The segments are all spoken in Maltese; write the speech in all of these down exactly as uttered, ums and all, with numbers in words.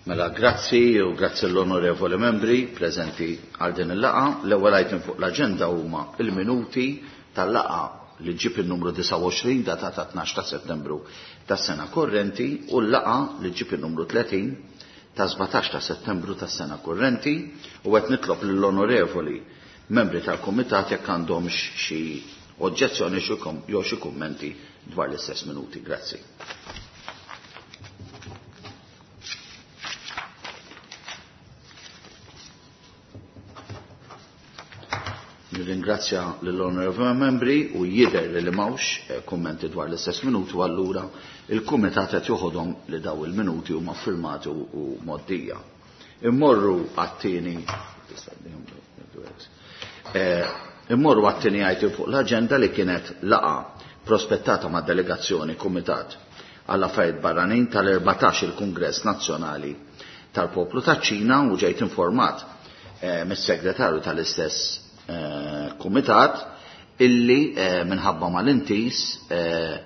Mela, grazzi u grazzi l-onorevoli membri preżenti għal din il-laqgħa. L-ewwel item fuq l-aġenda huma il-minuti tal-laqgħa li ġib il-numru disgħa u għoxrin datata tnax ta' Settembru tas-sena korrenti u l-laqgħa li ġib il-numru tletin ta' sbatax ta' Settembru tas-sena korrenti, u qed nitlob lill-onorevoli membri tal-kumitat jekk għandhomx xi oġġezzjoni jew xi kummenti dwar l-istess minuti. Grazzi. Nirringrazzja lill-onorevoli membri u jidher li m'hawnx, eh, kummenti dwar l-istess minuti, u allura il-kumitat qed joħodhom li daw il-minuti huma ffirmati u, u mgħoddija. Immorru għat-tieni eh, immorru għat-tieni item fuq l-aġenda li kienet laqgħa prospettata mad delegazzjoni Kumitat għall affarijiet Barranin tal-erbatax il-Kungress Nazzjonali tal-Poplu taċ-Ċina, u ġejt informat, eh, mis-segretarju tal-istess, eh, kumitat illi, eh, minħabba mal-intis, eh,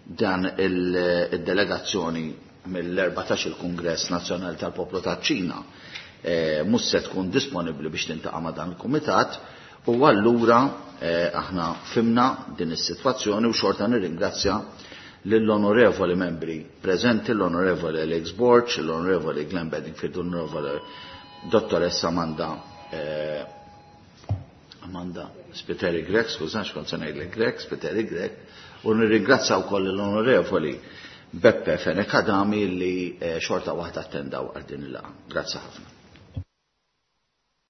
dan il-, il-delegazzjoni mill-erbatax il-Kungress Nazzjonali tal-Poplu taċ-Ċina, eh, mhux se tkun disponibbli biex tintaqa' ma' dan il-kumitat, u allura, eh, aħna fimna din is-sitwazzjoni u xorta nirringrazzja lill-onorevoli membri preżenti, l-onorevoli Alex Borg, l-onorevoli Glenn Bedingfield, l-onorevoli dottoressa Amanda, eh, Amanda Spiteri Grech, skużan xkont se ngħidlek Grech, Spiteri Grech, u nirringrazzja wkoll l-onorevoli Beppe Fenech Adami li, eh, xorta waħda attendaw għal din il-laqgħa. Grazzi ħafna.